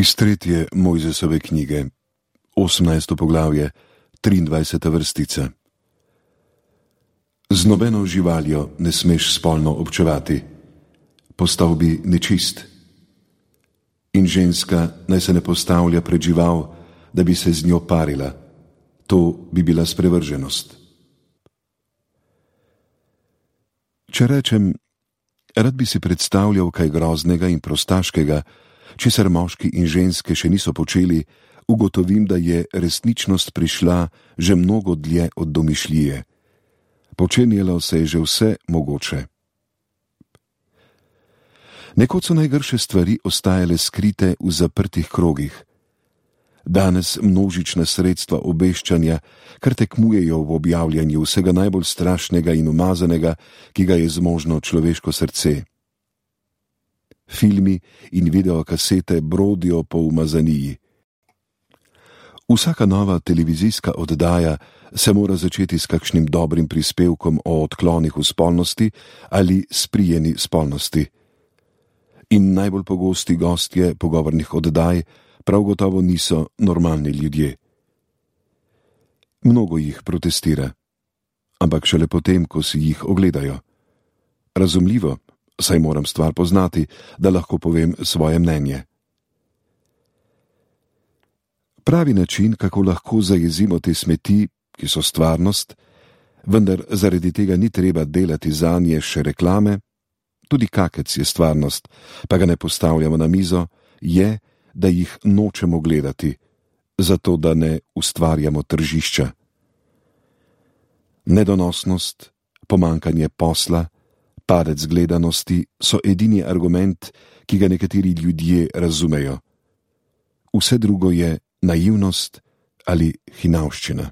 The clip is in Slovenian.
Iz 3. Mojzesove knjige, 18. poglavje, 23. vrstica. Z nobeno živaljo ne smeš spolno občevati, postal bi nečist. In ženska naj se ne postavlja pred žival, da bi se z njo parila, to bi bila sprevrženost. Če rečem, rad bi si predstavljal kaj groznega in prostaškega, česar moški in ženske še niso počeli, ugotovim, da je resničnost prišla že mnogo dlje od domišljije. Počenjalo se je že vse mogoče. Nekoč so najgrše stvari ostajale skrite v zaprtih krogih. Danes množična sredstva obveščanja kar tekmujejo v objavljanju vsega najbolj strašnega in umazanega, ki ga je zmožno človeško srce. Filmi in videokasete brodijo po umazaniji. Vsaka nova televizijska oddaja se mora začeti s kakšnim dobrim prispevkom o odklonih v spolnosti ali sprijeni spolnosti. In najbolj pogosti gostje pogovornih oddaj prav gotovo niso normalni ljudje. Mnogo jih protestira, ampak šele potem, ko si jih ogledajo. Razumljivo, saj moram stvar poznati, da lahko povem svoje mnenje. Pravi način, kako lahko zajezimo te smeti, ki so stvarnost, vendar zaradi tega ni treba delati zanje še reklame, tudi kakec je stvarnost, pa ga ne postavljamo na mizo, je, da jih nočemo gledati, zato da ne ustvarjamo tržišča. Nedonosnost, pomanjkanje posla, padec gledanosti so edini argument, ki ga nekateri ljudje razumejo. Vse drugo je naivnost ali hinavščina.